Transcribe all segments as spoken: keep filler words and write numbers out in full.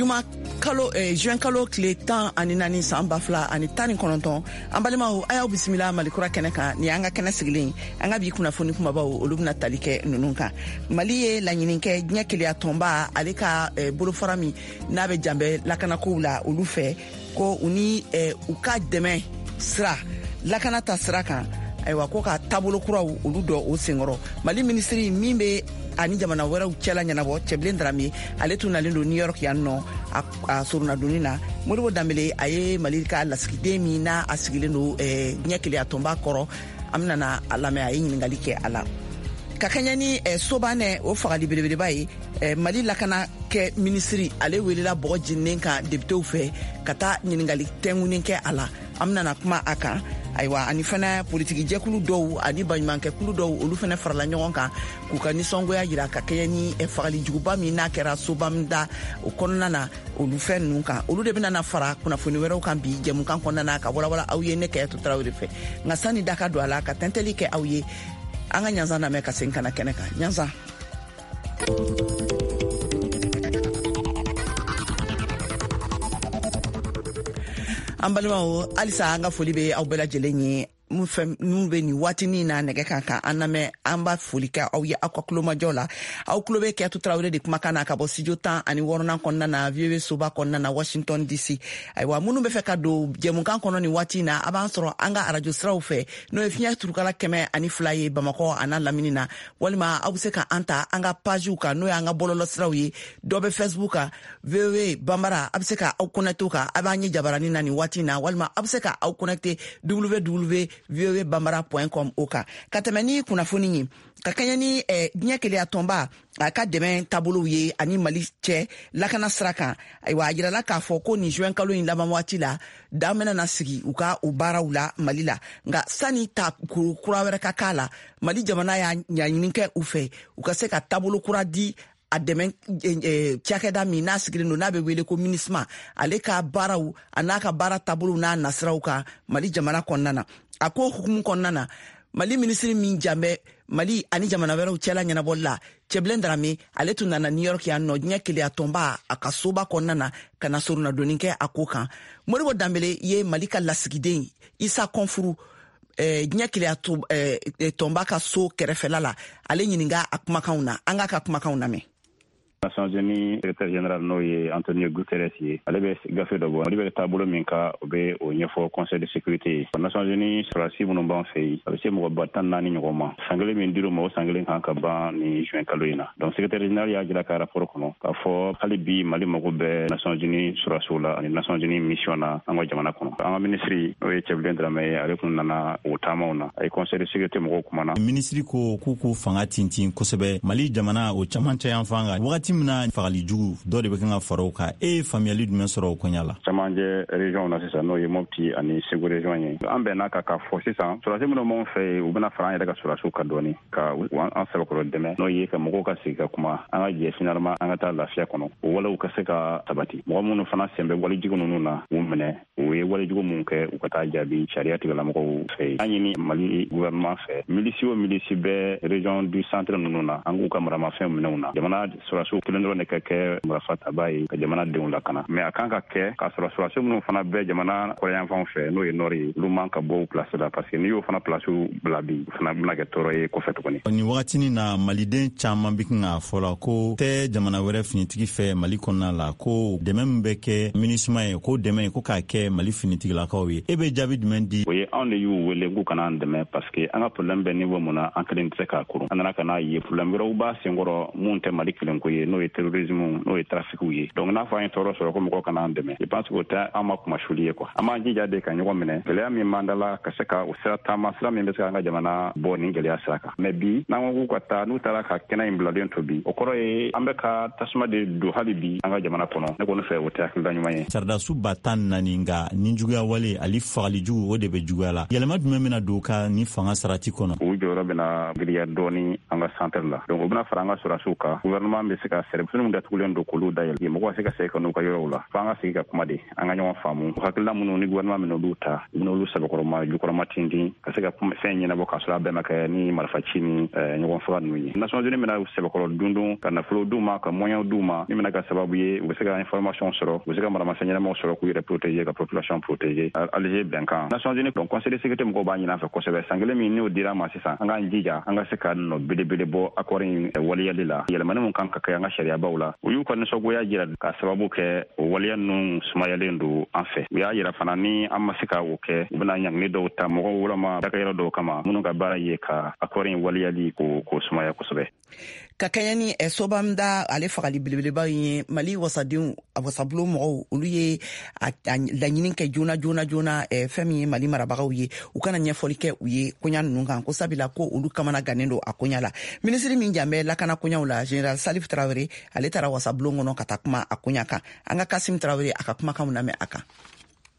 Juma kalo eh, juin kalo tile tan ani naani san ba fila ani tan ni kɔnɔntɔn. An balimaw, a y'aw bisimila Malikura kɛnɛ kan. Nin y'an ka kɛnɛ sigilen. An ka bi kunnafoni kumabaw, olu bɛna tali kɛ ninnu kan: Mali ye laɲini kɛ diɲɛ keleya tɔnba, ale ka eh, bolofara min n'a bɛ janbɛ lakanakow la, olu fɛ ko u ni eh, u ka dɛmɛ sira lakana ta sira kan. Ayiwa, ko ka taabolo kuraw olu dɔ o senkɔrɔ. Mali minisiri min bɛ ani jamana wɛrɛw cɛla ɲɛnabɔ, Cɛbilen Darame, ale tun nalen don New York yan nɔ a soronnadonni na. Modibo Danbele, a ye Mali ka lasigiden min n'a a sigilen don eh, diɲɛ keleya tɔnba kɔrɔ, an bɛna a lamɛn, a ye ɲininkali kɛ a la. Ka kɛɲɛ ni eh, Sobanɛ o fagali belebeleba ye, eh, Mali lakana kɛ minisiri, ale welela bɔgɔ jeninen kan depitew fɛ ka taa ɲininkali tɛngunin kɛ a la. An bɛna kuma a kan. Ayiwa, ani fana politiki jɛkulu dɔw ani baɲumankɛkulu dɔw, olu fana farala ɲɔgɔn kan k'u ka nisɔngoya yira ka kɛɲɛ ni eh, fagali juguba min n'a kɛra Sobamda o kɔnɔna na, olu fɛn ninnu kan. Olu de bɛna na fara kunnafoni wɛrɛw kan bi jɛmukan kɔnɔna na, ka walawala aw ye ne Kɛyɛtu Tarawele fɛ. Nka sani da ka don a la ka tɛntɛli kɛ aw ye, an ka ɲanzan lamɛn ka segin ka na kɛnɛ kan. Ɲanzan. An balimaw, halisa an ka foli bɛ aw bɛɛ lajɛlen ye. Mun fɛn minnu bɛ nin waatinin na nɛgɛ kan ka an lamɛn, an b'a foli kɛ aw ye aw ka kulomajɔ la. Aw tulo bɛ Kɛyatu Tarawele de kumakan na ka bɔ studio tan ani wɔɔrɔnan kɔnɔna na, V O A soba kɔnɔna na, Washington D C. Ayiwa, minnu bɛ fɛ ka don jɛmukan kɔnɔ nin waati in na, a b'an sɔrɔ an ka arajo siraw fɛ, n'o ye fiɲɛ turukala kɛmɛ ani fila ye Bamakɔ a n'a lamini na, walima aw bɛ se ka an ta an ka pagew kan, n'o y'an ka bɔlɔlɔ siraw ye. Dɔ bɛ Facebook kan, V O A Banbara, a bɛ se ka aw connecté o kan, a b'an ye jabarani na nin waati in na, walima a bɛ se ka aw connecté W W W voa bambara point com o kan. Ka tɛmɛ ni kunnafoni ye, ka kɛɲɛ ni eh, diɲɛ keleya tɔnba a ka dɛmɛ taabolow ye ani Mali cɛ lakana sira kan, ayiwa, a yirala k'a fɔ ko nin juin kalo in laban waati la, dan bɛna na sigi u ka o baaraw la Mali la. Nka sani ta kura wɛrɛ ka k'a la, Mali jamana y'a ɲaɲini kɛ u fɛ u ka se ka taabolo kura di a dɛmɛ eh, cakɛda min n'a sigilen don, n'a bɛ wele ko MINUSMA, ale ka baaraw a n'a ka baara taabolow n'a nasiraw kan Mali jamana kɔnɔna na. A ko hukumu kɔnɔna na, Mali minisiri min jan bɛ Mali ani jamana wɛrɛw cɛla ɲɛnabɔli la, Cɛbilen Darame, ale tun nana New York yan nɔ, diɲɛ keleya tɔnba a ka soba kɔnɔna na, ka na soronnadonni kɛ a ko kan. Modibo Danbele ye Mali ka lasigiden Isa Kɔnfuru eh, diɲɛ keleya eh, tɔnba ka so kɛrɛfɛla la, ale ɲininka a kumakanw na. An k'a ka kumakanw lamɛn. Nations Unies secrétaire général, n'o ye Antonio Guterres ye, ale bɛ gafe dɔ bɔ. Mali bɛ taabolo min ka, o bɛ o ɲɛfɔ Conseil de sécurité ye. Nations Unies sɔrɔdasi minnu b'an fɛ yen, a bɛ se mɔgɔ ba tan naani ɲɔgɔn ma. San kelen min dir'u ma, o san kelen kan ka ban ni juin kalo in na. Donc secrétaire général y'a jira ka rapport kɔnɔ k'a fɔ hali bi Mali mago bɛ Nations Unies sɔrɔdasiw la ani Nations Unies mission na an ka jamana kɔnɔ. An ka ministre, n'o ye Cɛbilen Dramɛ ye, ale kun nana o taamaw na, a ye Conseil de sécurité mɔgɔw kumana. Minisiri ko k'u k'u fanga tintin kosɛbɛ Mali jamana o camancɛ yan fan kan, wagati min na fagali jugu dɔ de bɛ kan ka fara o kan. E ye faamuyali jumɛn sɔrɔ o koɲa la? Camancɛ région na sisan, n'o ye Mopti ani Segu région ye, an bɛnna ka k'a fɔ sisan sɔrɔdasi minnu b'anw fɛ yen, u bɛna fara an yɛrɛ ka sɔrɔdasiw kan dɔɔni ka an sɛbɛkɔrɔ dɛmɛ, n'o ye ka mɔgɔw ka sigi ka kuma, an ka jɛ finalement an ka taa lafiya kɔnɔ, o walew ka se ka sabati. Mɔgɔ minnu fana sen bɛ walejugu ninnu na, u minɛ, u ye walejugu mun kɛ, u ka taa jaabi sariya tigilamɔgɔw fɛ yen. An ɲini Mali gouvernement fɛ, milisi o milisi bɛ région du centre ninnu na, an k'u ka maramafɛn minɛw na. Jamana sɔrɔdasiw kelen dɔrɔn de ka kɛ marifa taba ye ka jamana denw lakana, mais a kan ka kɛ k'a sɔrɔ sɔrɔdasi minnu fana bɛ jamana kɔrɔyanfanw fɛ, n'o ye nord ye, olu man ka bɔ u place la, parce que n'i y'o fana place bila bi, o fana bɛna kɛ tɔɔrɔ ye kɔfɛ tuguni. Nin wagatinin na, maliden caman bɛ kan k'a fɔ la ko tɛ jamana wɛrɛ finitigi fɛ Mali kɔnɔna la, ko dɛmɛ min bɛ kɛ MINUSMA ye, ko dɛmɛ ko k'a kɛ Mali finitigilakaw ye. E bɛ jaabi jumɛn di? O ye anw de y'u wele k'u kana an dɛmɛ, parce que an ka problème bɛ niveau mun na, an kelen tɛ se k'a kurun. An nana ka n'a ye problème wɛrɛw b'a senkɔrɔ mun tɛ Mali kelen ko ye, n'o ye terrorisme, n'o ye trafic ye. Donc n'a fɔ an ye tɔɔrɔ sɔrɔ ko mɔgɔw kana an dɛmɛ, je pense que o tɛ an ma kumasuli ye quoi. An b'an jija de ka ɲɔgɔn minɛ, gɛlɛya min b'an da la, ka se ka o sira taama, sira min bɛ se k'an ka jamana bɔ nin gɛlɛya sira kan. Mais bi, n'an ko k'u ka taa, n'u taara ka kɛnɛ in bilalen to bi, o kɔrɔ ye an bɛ ka tasuma de don hali bi an ka jamana kɔnɔ. Ne kɔni fɛ, o tɛ hakilina ɲuman ye. Sɔrɔdasiw ba tan naani, nka ni juguya wale ali fagali jugu, o de bɛ juguya. cogoya la. Yɛlɛma jumɛn bɛna don ka ni fanga sarati kɔnɔ? U jɔyɔrɔ bɛna giriya dɔɔni an ka centre la. Donc u bɛna fara an ka sɔrɔdasiw kan. Gouvernement bɛ se ka sɛrɛfini min datugulen don k'olu dayɛlɛ, mɔgɔw ka se ka segin ka n'u ka yɔrɔw la. Fo an ka sigi ka kuma de, an ka ɲɔgɔn faamu. Hakilina minnu ni gouvernement minɛ olu ta, u bɛna olu sɛbɛkɔrɔma jukɔrɔma tintin ka se ka fɛn ɲɛnabɔ k'a sɔrɔ a bɛɛ ma kɛ ni marifaci ni ɲɔgɔn faga ninnu ye. Nations Unies bɛna sɛbɛkɔrɔ dundun ka nafolo d'u ma, ka moyens d'u ma, min bɛna kɛ sababu ye u bɛ se ka information sɔrɔ, u bɛ se ka maramafɛn ɲɛnamaw sɔrɔ k'u yɛrɛ protéger, ka population protéger. Alger bɛnkan Nations Unies, donc Conseil de sécurité mɔgɔw b'a ɲini an fɛ kosɛbɛ. San kelen min n'o dira an ma sisan, an k'an jija an ka se ka nɔ belebele bɔ accord in waleyali la. Yɛlɛmani mun kan ka kɛ an ka sariyabaw la, u y'u ka nisɔngoya jira ka sababu kɛ o waleya ninnu sumayalen don an fɛ. U y'a yira fana ni an ma se ka o kɛ, u bɛna ɲangili dɔw ta mɔgɔw walama dakɛyɔrɔ dɔw kama minnu ka baara ye ka accord in waleyali k'o k'o sumaya kosɛbɛ. Ka kɛɲɛ ni Sobamda ale fagali belebeleba ye, Mali wasadenw, wasabulon mɔgɔw, olu ye laɲini kɛ joona joona joona fɛn min ye Mali marabagaw ye, u kana ɲɛfɔli kɛ u ye koɲa ninnu kan, ko sabula ko olu kamana gannen don a koɲa la. Minisiri min jan bɛ lakana koɲaw la, Général Salif Traoré, ale taara wasabulon kɔnɔ ka taa kuma a koɲa kan. An ka Kasim Traoré a ka kumakanw lamɛn a kan.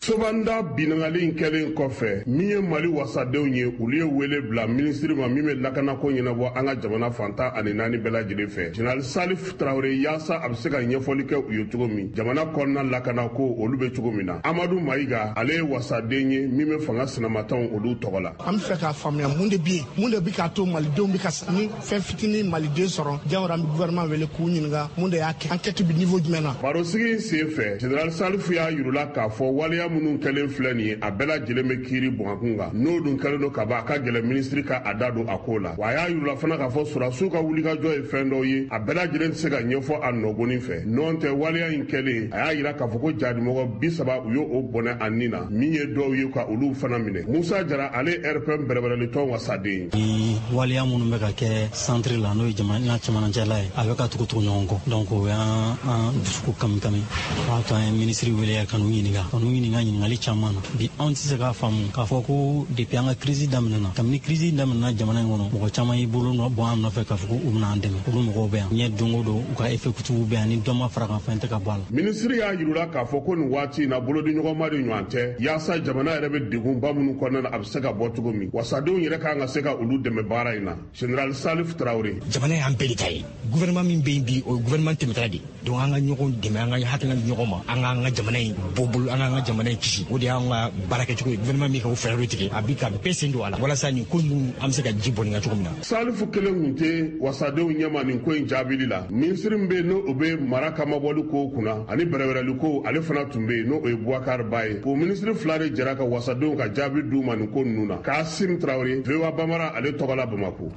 Sobanda binangali in kɛlen kɔfɛ, min ye Mali wasadenw ye, olu ye wele bila minisiri ma min bɛ lakanako ɲɛnabɔ an ka jamana fantan ani naani bɛɛ lajɛlen fɛ, Général Salif Traoré, yaasa a bɛ se ka ɲɛfɔli kɛ u ye cogo min jamana kɔnɔna lakanako olu bɛ cogo min na. Amadu Mayiga, ale ye wasaden ye min bɛ fanga sinamatanw olu tɔgɔ la. An bɛ fɛ k'a faamuya mun de bɛ yen, mun de bɛ k'a to malidenw bɛ ka ni fɛn fitinin maliden sɔrɔ jagoya. An bɛ gouvernement wele k'u ɲininka mun de y'a kɛ, enquête bɛ niveau jumɛn na. Barosigi in sen fɛ, Général Salif y'a yirula k'a fɔ waleya minnu kɛlen filɛ nin ye, a bɛɛ lajɛlen bɛ kiiri bɔnkun kan, n'o dun kɛlen don ka ban, a ka gɛlɛn minisiri ka a da don a ko la. Wa a y'a yirula fana k'a fɔ sɔrɔdasiw ka wulikajɔ ye fɛn dɔw ye, a bɛɛ lajɛlen tɛ se ka ɲɛfɔ a nɔgɔnin fɛ. Nɔn tɛ waleya in kɛlen, a y'a yira k'a fɔ ko jadimɔgɔ bi saba u y'o bɔnɛ a nin na, min ye dɔw ye ka olu fana minɛ. Musa Jara, ale R P M bɛrɛbɛrɛlitɔn wasaden. Ni waleya minnu bɛ ka kɛ centre la, n'o ye jamana cɛmancɛla ye, a bɛ ka tugu tugu ɲɔgɔn kɔ, donc o y'an dusukun kami kami. O y'a to an ye minisiri wele ka n'u ɲininka ka n'u ɲininka ɲininkali caman na. Bi anw tɛ se k'a faamu k'a fɔ ko depuis an ka crise daminɛna, kabini crise daminɛna jamana in kɔnɔ, mɔgɔ caman y'i bolo bɔ an nɔfɛ k'a fɔ ko u bɛna an dɛmɛ. Olu mɔgɔw bɛ yan ɲɛ don o don, u ka effectif bɛ yan, ni dɔ ma fara kan, fɛn tɛ ka bɔ a la. Minisiri y'a yirula k'a fɔ ko nin waati in na, bolodiɲɔgɔnma de ɲɔgɔn tɛ, yaasa jamana yɛrɛ bɛ degunba minnu kɔnɔna na, a bɛ se ka bɔ cogo min, wasadenw yɛrɛ kan ka se ka olu dɛmɛ baara in na. Général Salif Traoré: jamana y'an bɛɛ de ta ye, gouvernement min bɛ yen bi, o ye gouvernement tɛmɛtala de, donc an ka ɲɔgɔn dɛmɛ, an ka hakilina di ɲɔgɔn ma, an k'an ka jamana in bɔ bolo, an k'an ka jamana in kisi. O de y'an ka baara kɛcogo ye. Gouvernement min ka o fɛɛrɛ tigɛ, a bi ka bɛɛ sen don a la walasa nin ko ninnu an bɛ se ka ji bɔn nin kan cogo min na. Salifu kelen kun tɛ wasadenw ɲɛma nin ko in jaabili la. Minisiri min bɛ yen n'o bɛ mara kamabɔli kow kunna ani bɛrɛbɛrɛli kow, ale fana tun bɛ yen, n'o ye Boubacar Ba ye. O minisiri fila de jɛra ka wasadenw ka jaabi d'u ma nin ko ninnu na. Kasim Traoré, V O A Bambara, ale tɔgɔ la Bamako.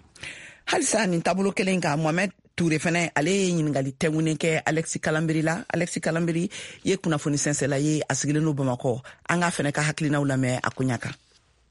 Halisa nin taabolo kelen kan, Mohamed Touré fɛnɛ, ale ye ɲininkali tɛnkunnen kɛ Alexis Kalambry la. Alexis Kalambry ye kunnafoni sɛnsɛla ye, a sigilen don Bamakɔ. An k'a fɛnɛ ka hakilinaw lamɛn a koɲa kan.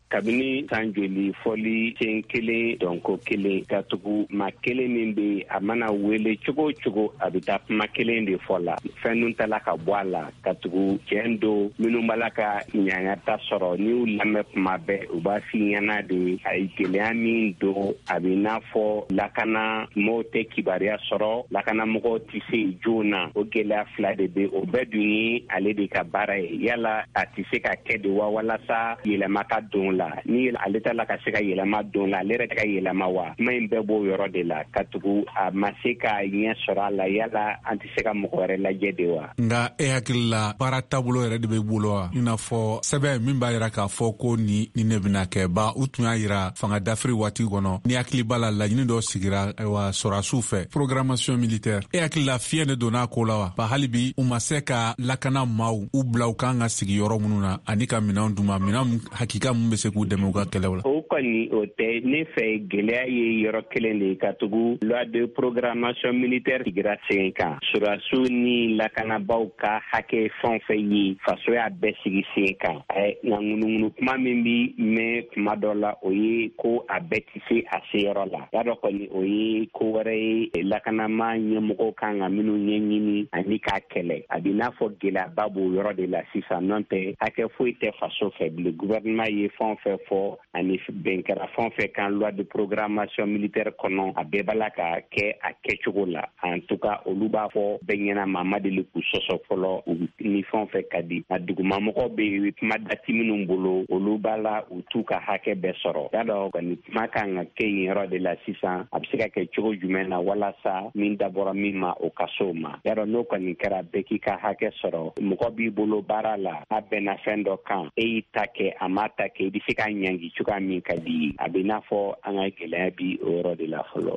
Kabini san joli fɔli sen kelen dɔnko kelen ka tugu ma kelen min bɛ, a mana wele cogo o cogo, a bɛ taa kuma kelen de fɔ la. Fɛn nun tala ka bɔ a la ka tugu tiɲɛ don. Minnu b'a la ka ɲangata sɔrɔ, n'i y'u lamɛn kuma bɛɛ, u b'a f'i ɲɛna de a ye gɛlɛya min don. A bɛ n'a fɔ lakana mɔgɔw tɛ kibaruya sɔrɔ, lakanamɔgɔw tɛ se joona. O gɛlɛya fila de bɛ, o bɛɛ dun ye ale de ka baara ye. Yala a tɛ se ka kɛ de wa, walasa yɛlɛma ka don la? Ni ale ta la ka se ka yɛlɛma don la, ale yɛrɛ ka yɛlɛma wa? Kuma in bɛɛ b'o yɔrɔ de la ka tugu a ma se ka ɲɛ sɔrɔ a la. Yala an tɛ se ka mɔgɔ wɛrɛ lajɛ de wa? Nka e hakili la, baara taabolo yɛrɛ de bɛ bolo wa, i n'a fɔ sɛbɛn min b'a yira k'a fɔ ko ni ni ne bɛna kɛ ba? U tun y'a yira fanga dafiri waati kɔnɔ, ni hakili b'a la, laɲini dɔ sigira ayiwa sɔrɔdasiw fɛ, programmation militaire. E hakili la, fiɲɛ de donna a ko la wa? Ba hali bi u ma se ka lakana maaw u bila u kan ka sigi yɔrɔ minnu na ani ka minɛnw d'u ma, minɛn hakika mun bɛ se k'u dɛmɛ u ka kɛlɛw la. O kɔni o tɛ ne fɛ. Gɛlɛya ye yɔrɔ kelen de ye, ka tugu loi de programmation militaire sigira sen kan, sɔrɔdasiw ni lakanabaw ka hakɛ fɛn o fɛn ye, faso y'a bɛɛ sigi sen kan. Nka ŋunuŋunu kuma min bi mɛn kuma dɔ la, o ye ko a bɛɛ tɛ se a seyɔrɔ la. Y'a dɔn kɔni o ye ko wɛrɛ ye, lakanama ɲɛmɔgɔw kan ka minnu ɲɛɲini ani k'a kɛlɛ. A b'i n'a fɔ gɛlɛyaba b'o yɔrɔ de la sisan, n'o tɛ hakɛ foyi tɛ faso fɛ bilen. Gouvernement ye fɛn o fɛn fɔ ani Bɛn kɛra fɛn o fɛn kan loi de programmation militaire kɔnɔ, a bɛɛ b'a la ka kɛ a kɛcogo la. En tout cas, olu b'a fɔ bɛɛ ɲɛna, maa ma deli k'u sɔsɔ fɔlɔ, u ni fɛn o fɛn ka di. Nka dugumamɔgɔw bɛ yen, kuma dati minnu bolo, olu b'a la u t'u ka hakɛ bɛɛ sɔrɔ. Y'a dɔn kɔni, kuma kan ka kɛ yen yɔrɔ de la sisan, a bɛ se ka kɛ cogo jumɛn na walasa min dabɔra min ma, o ka s'o ma. Y'a dɔn, n'o kɔni kɛra, bɛɛ k'i ka hakɛ sɔrɔ. Mɔgɔ b'i bolo baara la, a bɛnna fɛn dɔ kan, e y'i ta kɛ, a m'a ta kɛ, i bɛ se k'a ɲangi cogoya min ka di ye. A bɛ n'a fɔ an ka gɛlɛya bi o yɔrɔ de la fɔlɔ.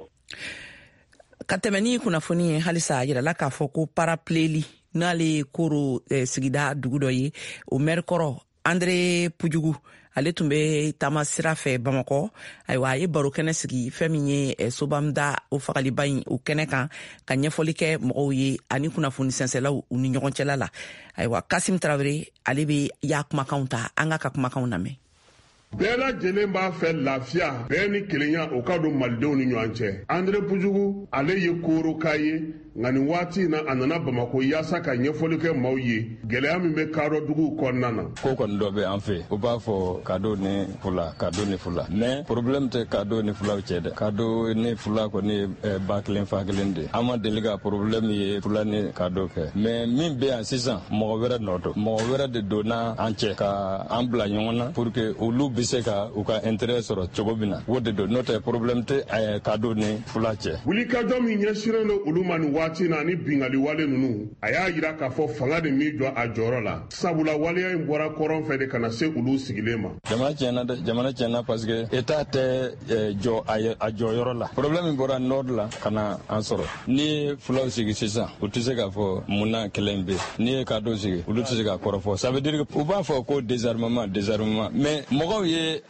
Ka tɛmɛ ni kunnafoni ye halisa, a yirala k'a fɔ ko Parapileli, n'ale ye Koro eh, sigida dugu dɔ ye, o mɛri kɔrɔ Andre Pujugu, ale tun bɛ taama sira fɛ Bamakɔ. Ayiwa, a ye baro kɛnɛ sigi fɛn min ye eh, Sobanda o fagaliba in, o kɛnɛ kan, ka ɲɛfɔli kɛ mɔgɔw ye ani kunnafoni sɛnsɛlaw u ni ɲɔgɔn cɛla la. Ayiwa, Kasim Tarawele, ale bɛ y'a kumakanw ta, an k'a ka kumakanw lamɛn. Bɛɛ lajɛlen b'a fɛ lafiya, bɛɛ ni kelenya o ka don malidenw ni ɲɔgɔn cɛ. Andre Pujugu, ale ye koroka ye, nka nin waati in na, a nana Bamako yaasa ka ɲɛfɔli kɛ maaw ye gɛlɛya min bɛ kadɔ duguw kɔnɔna na. Ko kɔni dɔ bɛ an fɛ, u b'a fɔ kado ni fula, kado ni fula, mais problème tɛ kado ni fulaw cɛ dɛ. Kado ni fula kɔni ye ba kelen fa kelen de. An ma deli ka problème ye fula ni kado kɛ, mais min bɛ yan sisan, mɔgɔ wɛrɛ nɔ don, mɔgɔ wɛrɛ de donna an cɛ ka an bila ɲɔgɔn na pour que olu bɛ se ka u ka intérêt sɔrɔ cogo min na. O de don, n'o tɛ problème tɛ kado ni fula cɛ. Wulikajɔ min ɲɛsinnen don olu ma nin waati na ni bingali wale ninnu, a y'a yira k'a fɔ fanga de min jɔ a jɔyɔrɔ la, sabula waleya in bɔra kɔrɔn fɛ de ka na se olu sigilen ma. Jamana tiɲɛna dɛ, jamana tiɲɛna, parce que état tɛ jɔ a jɔyɔrɔ la. Problème min bɔra nord la ka na an sɔrɔ, n'i ye fulaw sigi sisan, u tɛ se k'a fɔ mun na kɛlɛ in bɛ yen. N'i ye kadɔ sigi, olu tɛ se k'a kɔrɔfɔ. Ça veut dire u b'a fɔ ko désarmement, désarmement, mais mɔgɔw ye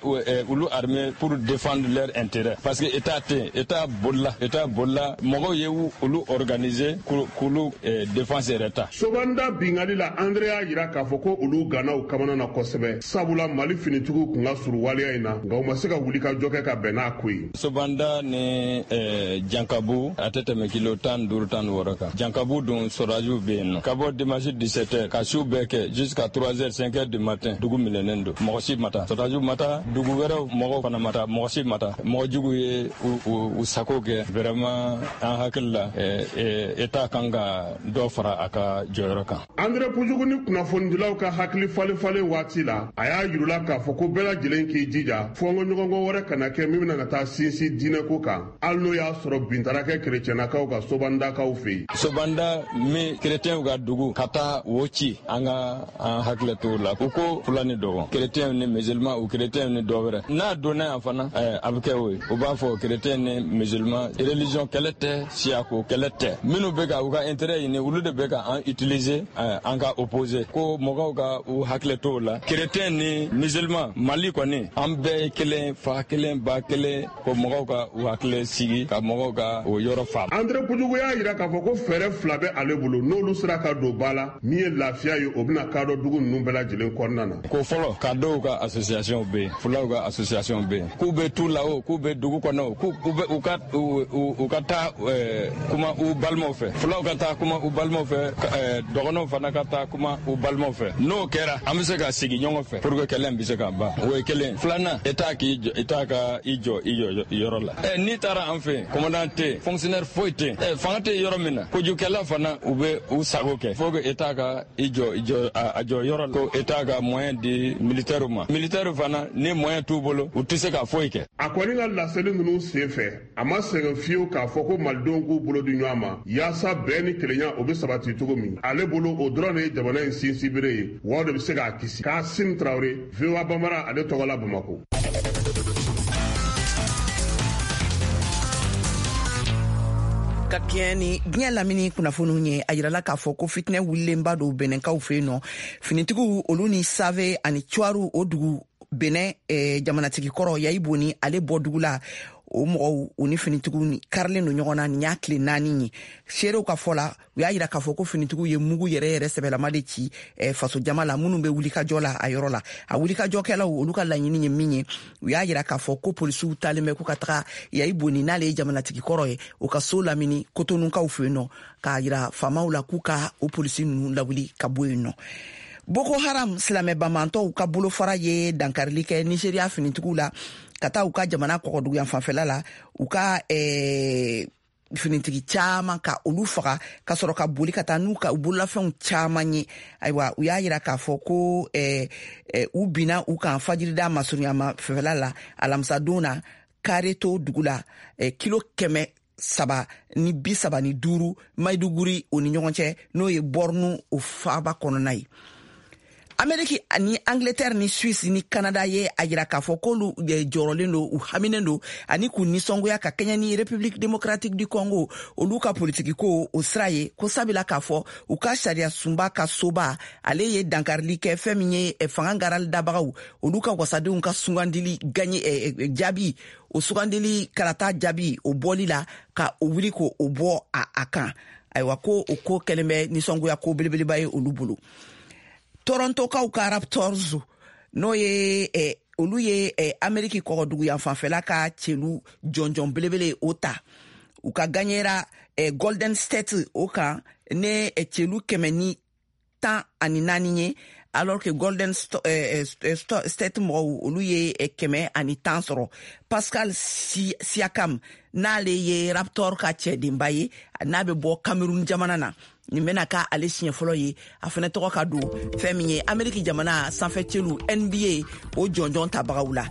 olu armé pour défendre leur intérêt, parce que état tɛ yen, état bolila, état bolila, mɔgɔw ye olu organiser k'olu défense yɛrɛ ta. Sobanda bingali la, Andre y'a yira k'a fɔ ko olu gannaw kamana na kosɛbɛ, sabula Mali finitigiw kun ka surun waleya in na, nka u ma se ka wuli ka jɔ kɛ ka bɛn n'a ko ye. Sobanda ni Jankabu, a tɛ tɛmɛ kilo tan duuru, tan ni wɔɔrɔ kan. Jankabu dun, sɔrɔdasiw bɛ yen nɔ ka bɔ dimanche dix-sept heures ka su bɛɛ kɛ jusqu'à trois heures, cinq heures du matin, dugu minɛnen don, mɔgɔ si ma taa, sɔrɔdasiw ma taa, dugu wɛrɛw mɔgɔw fana ma taa, mɔgɔ si ma taa. Mɔgɔ jugu ye u sago kɛ. Vraiment, an hakili la, état kan ka dɔ fara a ka jɔyɔrɔ kan. Andre Pujugu ni kunnafonidilaw ka hakili falen falen waati la, a y'a yirula k'a fɔ ko bɛɛ lajɛlen k'i jija fɔnkɔ ɲɔgɔnkɔ wɛrɛ kana kɛ min bɛna ka taa sinsin diinɛko kan, hali n'o y'a sɔrɔ bin taara kɛ kerecɛnnakaw ka Sobandakaw fɛ yen. Sobanda min kerecɛnw ka dugu, ka taa wo ci, an ka an hakili t'o la. U ko fula ni dɔgɔ, kerecɛnw ni musulman, u kerecɛnw ni dɔ wɛrɛ. N'a donna yan fana, a bɛ kɛ o ye. U b'a fɔ kerecɛn ni musulman, religion kɛlɛ tɛ, siyako kɛlɛ tɛ. Minnu bɛ ka u ka intérêt ɲini, olu de bɛ ka an utiliser, an ka opposer, ko mɔgɔw ka u hakili t'o la. Kerecɛn ni musulman, Mali kɔni, an bɛɛ ye kelen, fa kelen, ba kelen, ko mɔgɔw ka u hakili sigi, ka mɔgɔw ka o yɔrɔ faamu. Andre Pujugu y'a yira k'a fɔ ko fɛɛrɛ fila bɛ ale bolo, n'olu sera ka don ba la, min ye lafiya ye, o bɛna kadɔ dugu ninnu bɛɛ lajɛlen kɔnɔna na. Ko fɔlɔ, ka dɔw ka association bɛ yen, fulaw ka association bɛ yen, k'u bɛ tu la o, k'u bɛ dugu kɔnɔ o, k'u bɛ u ka u ka taa kuma u balimaw fɛ, fulaw ka taa kuma u balimaw fɛ, dɔgɔnɔw fana ka taa kuma u balimaw fɛ. N'o kɛra, an bɛ se ka sigi ɲɔgɔn fɛ pour que kɛlɛ in bɛ se ka ban. O ye kelen. Filanan, état k'i jɔ, état ka i jɔ i jɔ yɔrɔ la. Ɛ n'i taara an fɛ yen, commandant tɛ yen, fonctionnaire foyi tɛ yen, ɛ fanga tɛ yɔrɔ min na, kojugukɛla fana u bɛ u sago kɛ. Faut que état ka i jɔ i jɔ a jɔ yɔrɔ la, ko état ka moyen di militaire ma. Militaire fana, ni moyen t'u bolo, u tɛ se ka foyi kɛ. A kɔni ka laseli ninnu sen fɛ, a ma sɛgɛn fiyewu k'a fɔ ko malidenw k'u bolo di ɲɔgɔn ma yaasa bɛn ni kelenya o bɛ sabati cogo min. Ale bolo, o dɔrɔn de ye jamana in sinsinbere ye, wa o de bɛ se k'a kisi. Kasim Tarawele, V O A Bambara, ale tɔgɔ la Bamakɔ. Ka kɛɲɛ ni diɲɛ lamini kunnafoniw ye, a yirala k'a fɔ ko fitinɛ wulilenba don Bɛnɛnkaw fɛ yen nɔ. Finitigiw olu ni Save ani Cuwaru, o dugu Bɛnɛ eh, jamanatigi kɔrɔ Yayi Boni, ale bɔ dugu la, o mɔgɔw u ni finitigiw karilen don ɲɔgɔn na. Nin y'a tile naani ye. Seerew ka fɔ la, u y'a yira k'a fɔ ko finitigiw ye mugu yɛrɛ yɛrɛ sɛbɛlama de ci eh, faso jama la minnu bɛ wulikajɔ la a yɔrɔ la. A wulikajɔkɛlaw olu ka laɲini ye min ye, u y'a yira k'a fɔ ko polisiw talen bɛ k'u ka taga Yayi Boni, n'ale ye jamanatigi kɔrɔ ye, u ka so lamini Kotonukaw fɛ yen nɔ, k'a yira faamaw la k'u ka o polisi ninnu lawuli ka bɔ yen nɔ. Boko Haram silamɛ bamantɔw ka bolofara ye dankarili kɛ Nigeria finitigiw la ka taa u ka jamana kɔgɔduguyan fanfɛla la, u ka eh, finitigi caman ka olu faga ka sɔrɔ ka boli ka taa n'u ka u bololafɛnw caman ye. Ayiwa, u y'a yira k'a fɔ ko eh, eh, u binna u kan fajirida masurunyama fɛfɛla la alamisadon na Kareto dugu la, eh, kilo kɛmɛ saba ni bi saba ni duuru Maiduguri o ni ɲɔgɔn cɛ, n'o ye Borno o faaba kɔnɔna ye. Ameriki ni Angleterre ni Suisse ni Canada ye a yira k'a fɔ k'olu jɔrɔlen don, u haminen don ani k'u nisɔngoya ka kɛɲɛ ni République démocratique du Congo olu ka politiki ko o sira ye, ko sabila k'a fɔ u ka sariya sunba ka soba ale ye dankarili kɛ fɛn min ye fanga garali dabagaw olu ka wasadenw ka sugandili gagne jaabi, o sugandili kalata jaabi o bɔli la ka o wuli k'o bɔ a, a kan. Ayiwa, ko o ko kɛlen bɛ nisɔngoya ko belebeleba ye olu bolo. Torontokaw ka Raptors, n'o ye eh, olu ye eh, Ameriki kɔgɔduguyan fanfɛla ka celu jɔnjɔn belebele o ta, u ka gagnera eh, Golden State o kan ne eh, celu kɛmɛ ni tan ani naani ye, alors que Golden St eh, State mɔgɔw olu ye eh, kɛmɛ ani tan sɔrɔ. Pascal si Siakam, n'ale ye Raptor ka cɛdenba ye, n'a bɛ bɔ Cameroun jamana na, nin bɛna ka ale siɲɛ fɔlɔ ye a fɛnɛ tɔgɔ ka don fɛn min ye Ameriki jamana sanfɛ celu N B A o jɔnjɔn tabagaw la.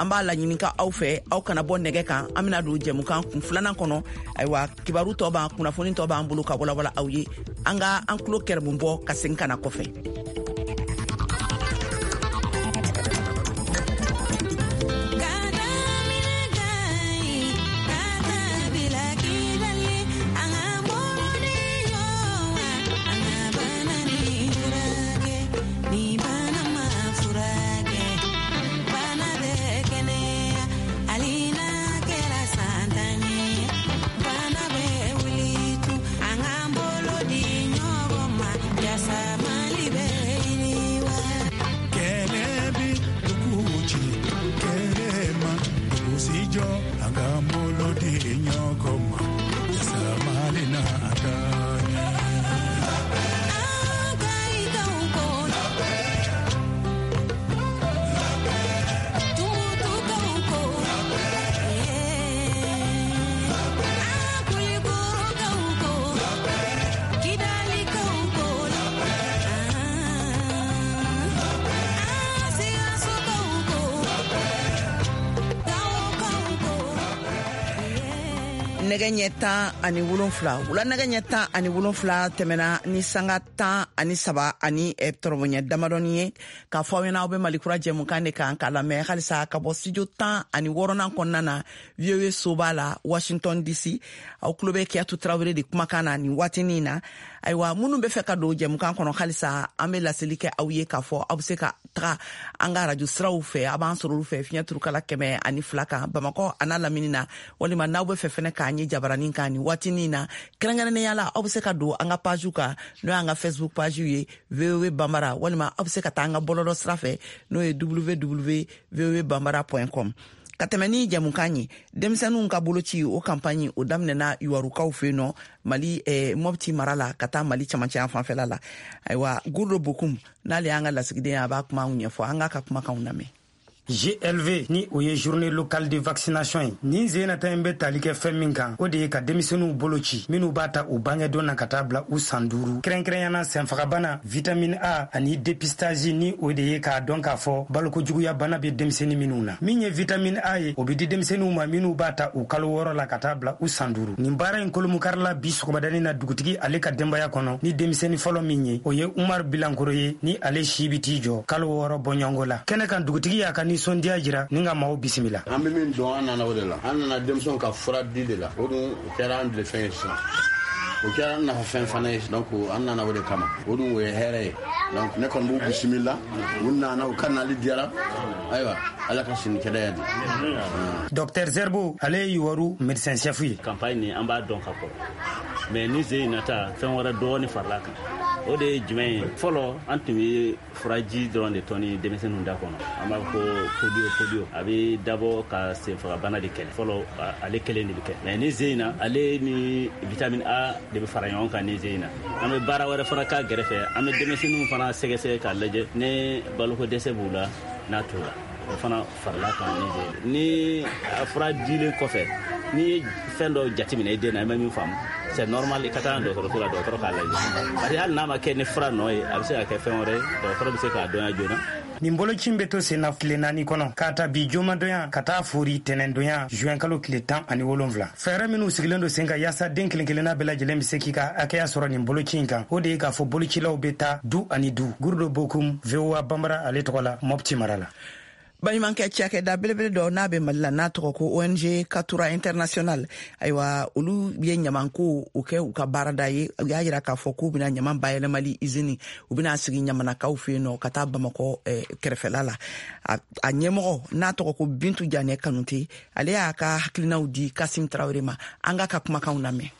An b'a laɲini ka aw fɛ, aw kana bɔ nɛgɛ kan, an bɛna don jɛmukan kun filanan kɔnɔ. Ayiwa, kibaru tɔ b'an, kunnafoni tɔ b'an bolo ka walawala aw ye. An ka an tulo kɛrɛmu bɔ ka segin ka na kɔfɛ. Nɛgɛ ɲɛ tan ani wolonfila wula nɛgɛ ɲɛ tan ani wolonfila tɛmɛna ni sanga tan ani saba ani tɔrɔbɔɲɛ damadɔni ye k'a fɔ aw ɲɛna aw bɛ Malikura jɛmukan de kan k'a lamɛn halisa ka bɔ studio tan ani wɔɔrɔnan kɔnɔna na V O A soba la Washington D C. Aw tulo bɛ Kiyatu Tarawele de kumakan na nin waatinin na. Ayiwa, minnu bɛ fɛ ka don jɛmukan kɔnɔ halisa, an bɛ laseli kɛ aw ye k'a fɔ aw bɛ se ka taga an ka radio siraw fɛ, a b'an sɔrɔ olu fɛ fiɲɛ turukala kɛmɛ ani fila kan Bamakɔ a n'a lamini na, walima n'aw bɛ fɛ fɛnɛ k'an ye jabaranin kan nin waatinin na kɛrɛnkɛrɛnnenya la, aw bɛ se ka don an ka page kan, n'o y'an ka Facebook page ye V O A Bambara, walima aw bɛ se ka taa an ka bɔlɔlɔ sira fɛ, n'o ye w w w v o a bambara point com. Ka tɛmɛ ni jɛmukan ye, denmisɛnninw ka boloci o campagne o daminɛna Yuwarukaw fɛ yen nɔ Mali eh, Mopti mara la ka taa Mali camancɛ fanfɛla la. Ayiwa, Gurdo Bokum n'ale y'an ka lasigiden ye, a b'a kuma anw ɲɛfɔ, an k'a ka kumakanw lamɛn. G L V ni o ye journée locale de vaccination ye. Nin sen nata in bɛ tali kɛ fɛn min kan, o de ye ka denmisɛnninw bolo ci minnu b'a ta u bangedon na ka taa bila u san duuru, kɛrɛnkɛrɛnyana senfagabana, vitamine A ani dépistage, ni o de ye k'a dɔn k'a fɔ balokojuguya bana bɛ denmisɛnnin minnu na. Min ye vitamine A ye, o bɛ di denmisɛnninw ma minnu b'a ta u kalo wɔɔrɔ la ka taa bila u san duuru. Nin baara in kolomukarila bi sɔgɔmadanin na dugutigi ale ka denbaya kɔnɔ ni denmisɛnnin fɔlɔ min ye, o ye Umar Bilankoro ye, ni ale si bɛ t'i jɔ kalo wɔɔrɔ bɔɲɔgɔnko la. Kɛnɛ kan dugutigi y'a ka nisɔndiya jira ni ka maaw bisimila. An bɛ min dɔn, an nana o de la, an nana denmisɛnw ka fura di de la, o dun o kɛra an tilefɛn ye sisan, o kɛra an nafa fɛn fana ye, donc an nana o de kama, o dun o ye hɛrɛ ye. Donc ne kɔni b'u bisimila, u nana, u ka nali diyara, ayiwa Ala ka sini kɛnɛya di. Docteur Zerbo, ale ye Yuwaru médecin chef ye. Campagne nin an b'a dɔn ka kɔrɔ, mais ni sen in nata fɛn wɛrɛ dɔɔni farala kan. O de ye jumɛn ye? Fɔlɔ an tun bɛ furaji dɔrɔn de tɔni denmisɛnninw da kɔnɔ, an b'a fɔ ko polio polio a bɛ dabɔ ka senfagabana de kɛlɛ. Fɔlɔ ale kelen de bɛ kɛ, mais ni zen in na, ale ni vitamine A de bɛ fara ɲɔgɔn kan. Ni zen in na, an bɛ baara wɛrɛ fana k'a gɛrɛfɛ. An bɛ denmisɛnninw fana sɛgɛsɛgɛ k'a lajɛ ni baloko dɛsɛ b'u la n'a t'u la, o fana farala kan. Ni zen ni a fura dilen kɔfɛ, n'i ye fɛn dɔ jateminɛ i den na, i ma min faamu, c'est normal i ka taa dɔgɔtɔrɔso la, dɔgɔtɔrɔ k'a lajɛ, parce que hali n'a ma kɛ ni fura nɔ ye, a bɛ se ka kɛ fɛn wɛrɛ ye, dɔgɔtɔrɔ bɛ se k'a dɔnya joona. Nin boloci bɛ to sen na tile naani kɔnɔ, k'a ta bi jumadonya ka taa fori tɛnɛndonya juin kalo tile tan ani wolonfila. Fɛɛrɛ minnu sigilen don sen kan yaasa den kelen kelenna bɛɛ lajɛlen bɛ se k'i ka hakɛya sɔrɔ nin boloci in kan, o de ye k'a fɔ bolocilaw bɛ taa du ani du. Gurudo Bokum, V O A Banbara ale tɔgɔ la, Mɔpti mara la. Baɲumankɛ cakɛda belebele dɔ n'a bɛ Mali la, n'a tɔgɔ ko O N G Katura International, ayiwa, olu ye ɲamanko o kɛ u ka baarada ye. U y'a yira k'a fɔ k'u bɛna ɲaman bayɛlɛmali izini, u bɛna sigi ɲamanakaw fɛ yen nɔ ka taa Bamakɔ eh, kɛrɛfɛla la. A, a ɲɛmɔgɔ n'a tɔgɔ ko Bintu Janɛ Kanute, ale y'a ka hakilinaw di Kasim Tarawele ma. An k'a ka kumakanw lamɛn.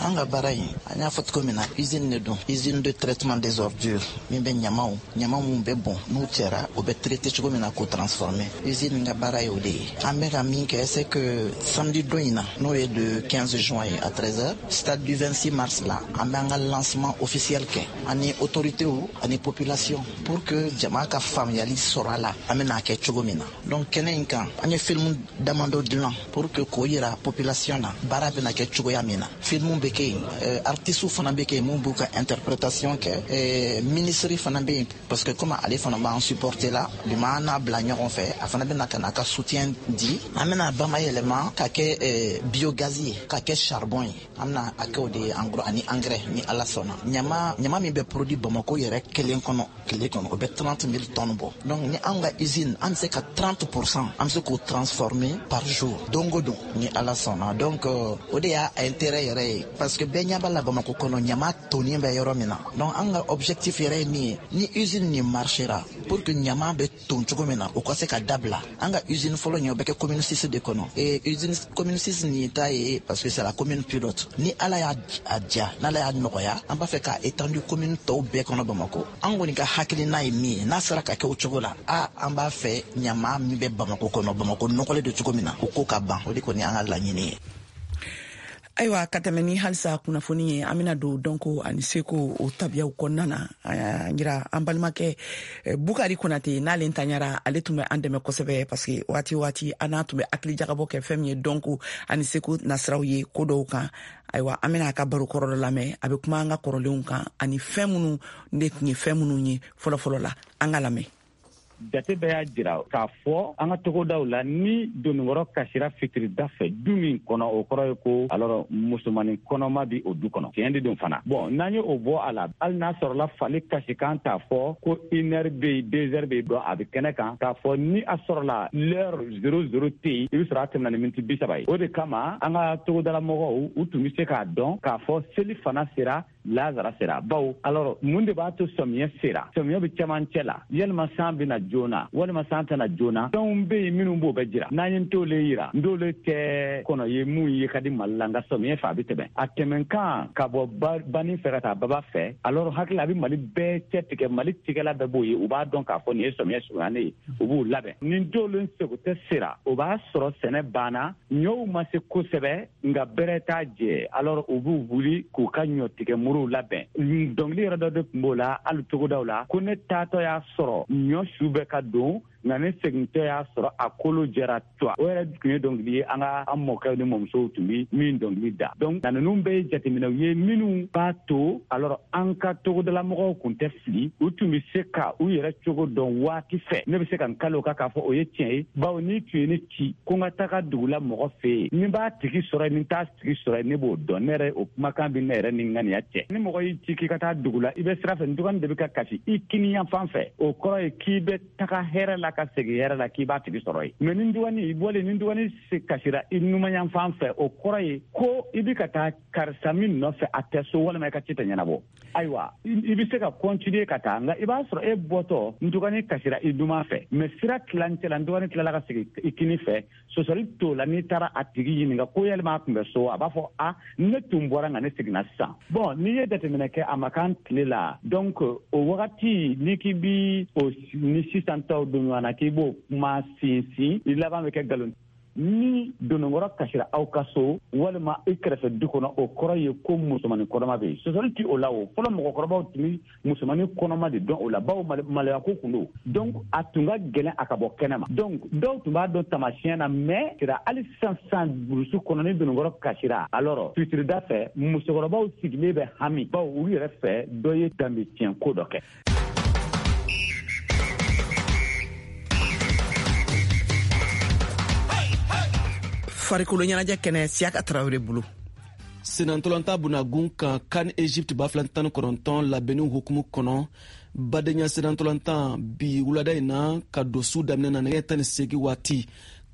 An ka baara in, an y'a fɔ cogo min na, usine de don, usine de traitement des ordures min bɛ ɲamaw, ɲama mun bɛ bɔn n'u cɛra, o bɛ traiter cogo min na k'o transformer. Usine ka baara ye o de ye. An bɛ ka min kɛ, c'est que samedi don in na, n'o ye le quinze juin ye, à treize heures, stade du vingt-six mars la, an bɛ an ka lancement officiel kɛ ani autorités ani population pour que jama ka faamuyali sɔrɔ a la, an bɛna kɛ cogo min na. Donc kɛnɛ in kan, an ye film damadɔ dilan pour que k'o yira population na baara bɛna kɛ cogoya min na. Film bɛ kɛ yen, artistes fana bɛ kɛ yen mun b'u ka interprétation kɛ. Ministre fana bɛ yen, parce que comme ale fana b'an supporter la, bi ma an n'a bila ɲɔgɔn fɛ, a fana bɛna ka n'a ka soutien di. An bɛna bamayɛlɛma ka kɛ biogaz ye, ka kɛ charbon ye. An bɛna a kɛ o de ye en gros, ani engrais ni Ala sɔnna. Ɲama ɲama min bɛ produit Bamako yɛrɛ kelen kɔnɔ tile kɔnɔ, o bɛ trente mille tonnes bɔ. Donc ni anw ka usine, an bɛ se ka trente pour cent, an bɛ se k'o transformer par jour, don o don ni Ala sɔnna. Donc o de y'a intérêt yɛrɛ ye, parce que bɛɛ ɲɛ b'a la Bamako kɔnɔ, ɲama tonnen bɛ yɔrɔ min na. Donc an ka objectif yɛrɛ ye min ye, ni usine nin marchera, pour que ɲama bɛ ton cogo min na, o ka se ka dabila. An ka usine fɔlɔ nin, o bɛ kɛ commune six de kɔnɔ. Et usine commune six nin ta ye, parce que c'est la commune pilote. Ni Ala y'a a diya, n'Ala y'a nɔgɔya, an b'a fɛ k'a étendu commune tɔw bɛɛ kɔnɔ Bamako. An kɔni ka hakilina ye min ye, n'a sera ka kɛ o cogo la, a an b'a fɛ ɲama min bɛ Bamako kɔnɔ, Bamako nɔgɔlen don cogo min na, o ko ka ban. O de kɔni y'an ka laɲini ye. Ayiwa, ka tɛmɛ ni halisa kunnafoni ye, an bena don dɔnko ani seko o tabiyaw kɔnɔna na. An yira an balimakɛ Bukari Konate, n'ale ntanyara, ale tun bɛ an dɛmɛ kosɛbɛ, parce que waati waati an n'a tun bɛ hakili jagabɔ kɛ fɛn min ye dɔnko ani seko nasiraw ye ko dɔw kan. Ayiwa, an bena a ka baro kɔrɔ dɔ lamɛn. A bɛ kuma an ka kɔrɔlenw kan ani fɛn minnu de tun ye fɛn minnu ye fɔlɔfɔlɔ la. An ka lamɛn. Jate bɛɛ y'a jira k'a fɔ an ka togodaw la, ni donikɔrɔ kasira fitirida fɛ du min kɔnɔ, o kɔrɔ ye ko alors musomanin kɔnɔma bi o du kɔnɔ. Tiɲɛ de don fana. Bɔn, n'an ye o bɔ a la, hali n'a sɔrɔla fali kasikan t'a fɔ ko une heure bɛ yen, deux heures bɛ yen, dɔn a bɛ kɛnɛ kan k'a fɔ ni a sɔrɔla l'heure zéro zéro tɛ yen, i bɛ sɔrɔ a tɛmɛna ni miniti bi saba ye. O de kama an ka togodala mɔgɔw, u tun bɛ se k'a dɔn k'a fɔ seli fana sera, lazara sera. Bawo alors mun de b'a to sɔmiyɛ sera, sɔmiyɛ bɛ cɛmancɛ la, yalima san bɛna joona walima san tɛna joona? Fɛnw bɛ yen minnu b'o bɛ jira. N'an ye ntole yira, ntole tɛ kɔnɔ ye mun ye ka di Mali la, nka sɔmiyɛ fɛ a bɛ tɛmɛ, a tɛmɛkan ka bɔ banin fɛ ka taa baba fɛ. Alors hakili a bɛ Mali bɛɛ cɛ tigɛ, Mali tigɛla bɛɛ b'o ye, u b'a dɔn k'a fɔ nin ye sɔmiyɛ surunyalen ye, u b'u labɛn. Ni ntole sego tɛ sera, o b'a sɔrɔ sɛnɛ banna, ɲɔw ma se kosɛbɛ, nka bɛrɛ t'a jɛ. Alors u b'u wuli k'u ka ɲɔ tigɛ muruw labɛn. Dɔnkili yɛrɛ dɔ de tun b'o la hali togodaw la, ko ne taatɔ y'a sɔrɔ ɲɔ su bɛ ka don, nka ne segintɔ y'a sɔrɔ a kolo jɛra tuwa. O yɛrɛ tun ye dɔnkili ye an ka an mɔkɛw ni mɔmusow tun bi min dɔnkili da. Donc na ninnu bɛɛ ye jateminɛw ye minnu b'a to alors an ka togodalamɔgɔw kun tɛ fili, u tun bɛ se ka u yɛrɛ cogo dɔn waati fɛ. Ne bɛ se ka n kalo kan k'a fɔ o ye tiɲɛ ye, bawo n'i tun ye ne ci ko n ka taga dugu la mɔgɔ fɛ yen, ni b'a tigi sɔrɔ yen, ni t'a tigi sɔrɔ yen, ne b'o dɔn. Ne yɛrɛ, o kumakan bɛ ne yɛrɛ ni ŋaniya cɛ. Ni mɔgɔ y'i ci k'i ka taa dugu la, i bɛ sira fɛ, ntugani de bɛ ka kasi i kini yan fan fɛ, o kɔrɔ ye k'i bɛ taga hɛrɛ la. taa ka segin hɛrɛ la k'i b'a tigi sɔrɔ yen. Mais ni dugani i bɔlen, ni dugani kasira i numanyanfan fɛ, o kɔrɔ ye ko i bɛ ka taa karisa min nɔfɛ a tɛ so walima i ka ci tɛ ɲɛnabɔ. Ayiwa, i bɛ se ka continuer ka taa, nka i b'a sɔrɔ e bɔtɔ ntugani kasira i numan fɛ, mais sira tilancɛ la ntugani tilala ka segin i kini fɛ, sɔsɔli t'o la. N'i taara a tigi ɲininka ko yalima a tun bɛ so, a b'a fɔ a ne tun bɔra nka ne seginna sisan. Bon, n'i ye jateminɛ kɛ a ma kan tile la, donc o wagati n'i k'i bi o ni sisan taw don ɲɔgɔn na k'i b'o kuma sinsin, i laban bɛ kɛ nkalon. Ni dononkɔrɔ kasira aw ka so walima i kɛrɛfɛ du kɔnɔ, o kɔrɔ ye ko musomanin kɔnɔma bɛ yen. Sɔsɔli ti o la. O fɔlɔ mɔgɔkɔrɔbaw tun bɛ musomanin kɔnɔma de dɔn o la, bawo maloya ko kun don. Donc a tun ka gɛlɛn a ka bɔ kɛnɛ ma. Donc dɔw tun b'a dɔn taamasiyɛn na, mais sira hali sisan sisan burusu kɔnɔ ni dononkɔrɔ kasira, alors fitirida fɛ musokɔrɔbaw sigilen bɛ hami, bawo olu yɛrɛ fɛ dɔ ye danbe tiɲɛ ko dɔ kɛ. Farikolo ɲɛnajɛ kɛnɛ, Siyaka Tarawele bolo. Senantɔlɔntan bunagun kan CAN Egypte ba fila tan ni kɔnɔntɔn labɛnniw hukumu kɔnɔ, badenya senantɔlɔntan bi wulada in na ka don su daminɛ na nɛgɛ tan ni seegin waati,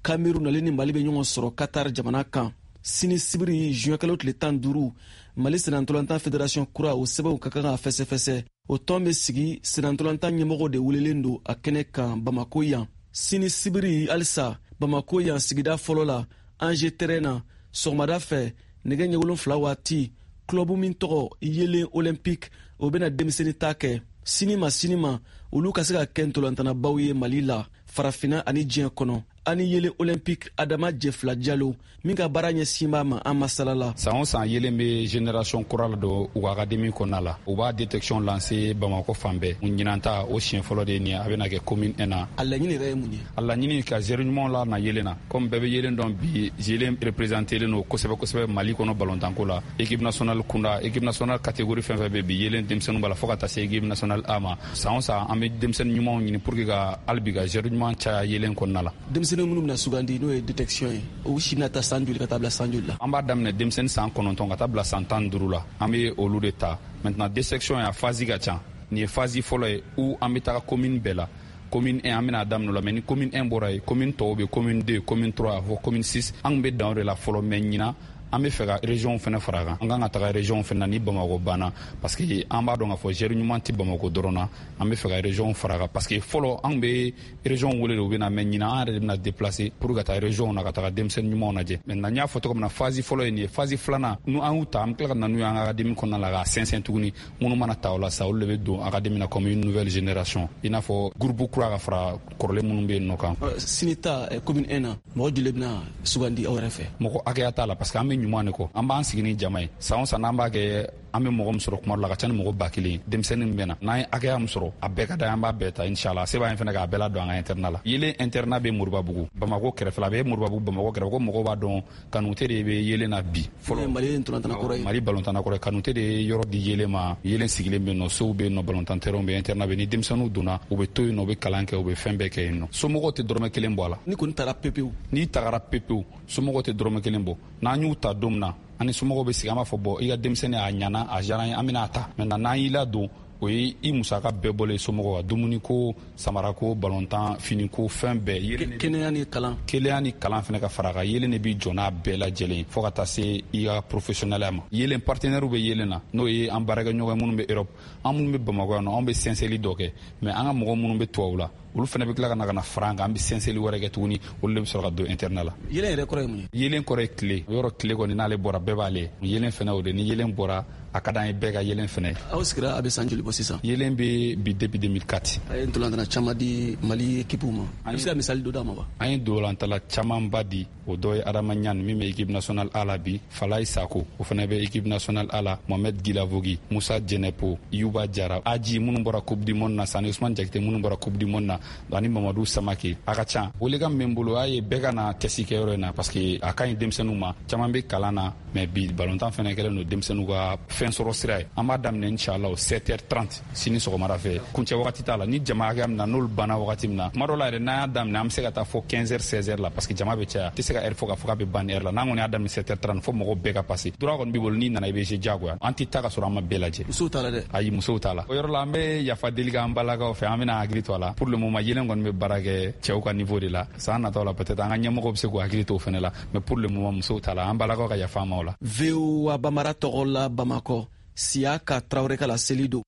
Cameroun ale ni Mali bɛ ɲɔgɔn sɔrɔ Qatar jamana kan. Sini sibiri juin kalo tile tan duuru, Mali senantɔlɔntan fédération kura o sɛbɛnw ka kan ka fɛsɛfɛsɛ. O tɔn bɛ sigi, senantɔlɔntan ɲɛmɔgɔw de welelen don a kɛnɛ kan Bamako yan. Sini sibiri halisa Bamako yan sigida fɔlɔ la, Angers terrain na, sɔgɔmada fɛ nɛgɛ ɲɛ wolonfila waati, club min tɔgɔ Yelen Olympique o bɛna denmisɛnnin ta kɛ. Sini ma sini ma olu ka se ka kɛ ntolantanabaw ye Mali la, farafinna ani diɲɛ kɔnɔ. Ani Yelen Olympique Adama Jɛfila Jalo min ka baara ɲɛsin b'a ma, an masala la. San o san Yelen bɛ génération kura la don u ka académie kɔnɔna la. U b'a détection lancer Bamakɔ fan bɛɛ. Ɲinan ta o siɲɛ fɔlɔ de ye nin ye, a bɛna kɛ commune un na. A laɲini yɛrɛ ye mun ye? A laɲini ka joueur ɲumanw la na Yelen na. Comme bɛɛ bɛ Yelen dɔn bi, Yelen représenté len don kosɛbɛ kosɛbɛ Mali kɔnɔ ballontanko la. Équipe nationale kunda, équipe nationale catégorie fɛn fɛn bɛ bi, Yelen denmisɛnninw b'a la fo ka taa se équipe nationale A ma. San o san an bɛ denmisɛnnin ɲumanw ɲini pour que ka hali bi ka joueur ɲuman caya Yelen kɔnɔna la. Denmisɛnnin minnu bɛna sugandi n'o ye détection ye, o si bɛna taa san joli ka taa bila san joli la? An b'a daminɛ denmisɛnnin san kɔnɔntɔn ka taa bila san tan ni duuru la, an bɛ olu de ta. Maintenant détection ya phase ka ca. Nin ye phase fɔlɔ ye où an bɛ taga commune bɛɛ la. Commune un an bɛna daminɛ o la, mais ni commune un bɔra yen, commune tɔw bɛ commune deux, commune trois fo commune six, an tun bɛ dan o de la fɔlɔ. Mais ɲinan an bɛ fɛ ka région fana fara kan. An kan ka taga région fana na ni Bamakɔ banna, parce que an b'a dɔn k'a fɔ joueur ɲuman tɛ Bamakɔ dɔrɔn na. An bɛ fɛ ka région fara kan, parce que fɔlɔ an bɛ région wele de u bɛ na, mais ɲinan an yɛrɛ de bɛna déplacer pour ka taa région na ka taga denmisɛnnin ɲumanw lajɛ. Maintenant n y'a fɔ cogo min na, phase fɔlɔ ye nin ye. Phase filanan n'u an y'u ta, an bɛ tila ka na n'u ye an ka académie kɔnɔna la k'a sɛnsɛn tuguni. Minnu mana ta o la sa, olu de bɛ don académie na comme une nouvelle génération, i n'a fɔ groupe kura ka fara kɔrɔlen minnu bɛ yen nɔ kan. Sini ta commune un na, mɔgɔ joli bɛna sugandi aw yɛrɛ fɛ? Mɔgɔ hakɛya t'a la, parce que an bɛ ɲuman de kɔ. An b'an sigi ni jama ye. San o san n'an b'a kɛ, an bɛ mɔgɔ min sɔrɔ kuma dɔ la a ka ca ni mɔgɔ ba kelen ye. Denmisɛnnin bɛ na, n'an ye hakɛya min sɔrɔ a bɛɛ ka d'an ye, an b'a bɛɛ ta inshallah. Se b'an ye fana k'a bɛɛ ladon an ka internat la. Yelen internat bɛ Moribabugu Bamakɔ kɛrɛfɛ la, a bɛ Moribabugu Bamakɔ kɛrɛfɛ. Ko mɔgɔw b'a dɔn Kanute de bɛ Yelen na bi fɔlɔ. Mali ntolantana kɔrɔ ye, Mali balontanna kɔrɔ ye. Kanute de ye yɔrɔ di Yelen ma. Yelen sigilen bɛ yen nɔ, sow bɛ yen nɔ, balontan terrain bɛ yen, internat bɛ yen. Ni denmisɛnninw donna, u bɛ to yen nɔ, u bɛ kalan kɛ, u bɛ fɛn bɛɛ kɛ yen nɔ. Somɔgɔw tɛ dɔrɔmɛ kelen bɔ a la. Ni kɔni taara pepewu, n'i tagara pepewu, somɔgɔw tɛ dɔrɔmɛ kelen bɔ. N'an y'u ta don min na, an ni somɔgɔw bɛ sigi, an b'a fɔ bɔn i ka denmisɛnnin a ɲana, a diyara an ye, an bɛna a ta. Maintenant n'an y'i ladon, o ye i musaka bɛɛ bɔlen somɔgɔw ka dumuniko, samarako, balontan, finiko, fɛn bɛɛ. Kɛnɛya ni kalan, kɛnɛya ni kalan fana ka fara a kan. Yelen de b'i jɔ n'a bɛɛ lajɛlen fo ka taa se i ka professionnel ma. Yelen partenaire bɛ Yelen na, n'o ye an baarakɛɲɔgɔn minnu bɛ Europe, an minnu bɛ Bamakɔ yan nɔ, anw bɛ sɛnsɛnli dɔ kɛ, mais an ka mɔgɔ minnu bɛ tubabu la, olu fana bɛ tila ka na ka na fara an kan, an bɛ sɛnsɛnli wɛrɛ kɛ tuguni, olu de bɛ sɔrɔ ka don internat la. Yelen yɛrɛ kɔrɔ ye mun ye? Yelen kɔrɔ ye tile. Yɔrɔ tile kɔni n'ale bɔra bɛɛ b'ale. Yelen fana o de, ni yelen bɔra a ka d'an ye bɛɛ ka yelen fana ye. Aw sigira a bɛ san joli bɔ sisan? Yelen bɛ bi depuis deux mille quatre. A ye ntolantana caman di Mali équipe ma. A bɛ se ka misali dɔ d'a ma wa? An ye ntolantala camanba di. O dɔ ye Adama Ɲani min bɛ équipe nationale A la bi, Falaye Sako o fana bɛ équipe nationale A la, Mohamed Gilavogi, Musa Jɛnɛpo, Yuba Jara, Aji minnu bɔra Coupe du monde na, Sani Ousmane Jakite minnu bɔra Coupe du monde na, ani Mamadou Samake. A ka ca. Welekan min bɛ n bolo, a ye bɛɛ ka na test kɛyɔrɔ in na, parce que a ka ɲi denmisɛnninw ma. Caman bɛ kalan na, mais bi balontan fana kɛlen don denmisɛnninw ka fɛn sɔrɔ sira ye. An b'a daminɛ inchallah sept heures trente sini sɔgɔmada fɛ. Kuncɛ wagati t'a la. Ni jama hakɛya min na, n'olu banna wagati min na, kuma dɔ la yɛrɛ n'an y'a daminɛ, an bɛ se ka taa fɔ quinze heures seize heures la, parce que jama bɛ caya. Tɛ se ka heure fɔ k'a fɔ k'a bɛ ban ni heure la. N'an kɔni y'a daminɛ sept heures trente, fo mɔgɔw bɛɛ ka passer. Droit kɔni b'i bolo, n'i nana i bɛ se diyagoya. An tɛ taa ka sɔrɔ an ma bɛɛ lajɛ. Musow t'a la dɛ. Ayi, musow t'a la. O yɔrɔ la, an bɛ yafa deli k'an balakaw fɛ, an bɛna hakili to a la. Pour le moment, yelen kɔni bɛ baara kɛ cɛw ka niveau de la. San nataw la, peut-être an ka ɲɛmɔgɔw bɛ se k'u hakili to o fɛnɛ la, mais pour le moment musow t'a la. An balakaw ka yafa an ma o la. V O A Bambara tɔgɔ la Bamakɔ, Siyaka Tarawele ka laseli don.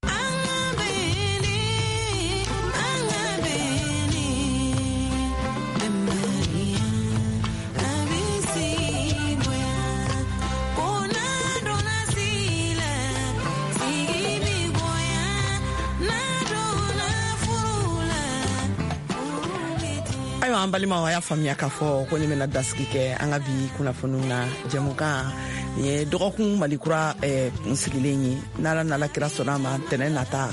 Ayiwa, an balimaw, a y'a faamuya k'a fɔ ko ne bɛna dasigi kɛ an ka bi kunnafoniw na. Jɛmukan nin ye dɔgɔkun Malikura eh, kunsigilen ye. N'Ala n'Ala kira sɔnna a ma, tɛnɛ nata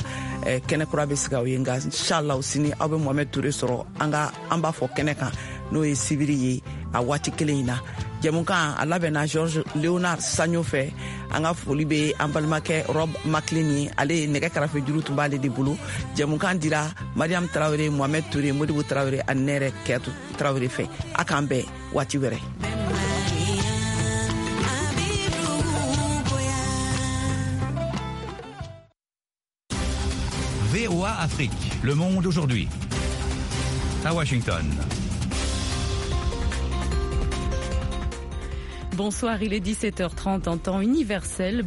eh, kɛnɛ kura bɛ sigi aw ye. Nka inshallah, sini aw bɛ Mohamɛd Ture sɔrɔ an ka an b'a fɔ kɛnɛ kan, n'o ye sibiri ye a waati kelen in na. Jɛmukan a labɛnna George Leonard Sanyo fɛ. An ka foli bɛ an balimakɛ Rob Maclean ye, ale ye nɛgɛ karafe juru tun b'ale de bolo. Jɛmukan dira Mariam Tarawele, Mohamɛd Ture, Modibo Tarawele ani ne yɛrɛ Kɛtu Tarawele fɛ. A k'an bɛn waati wɛrɛ. V O A Afrique, le monde aujourd'hui. À Washington. Bonsoir, il est dix-sept heures trente en temps universel.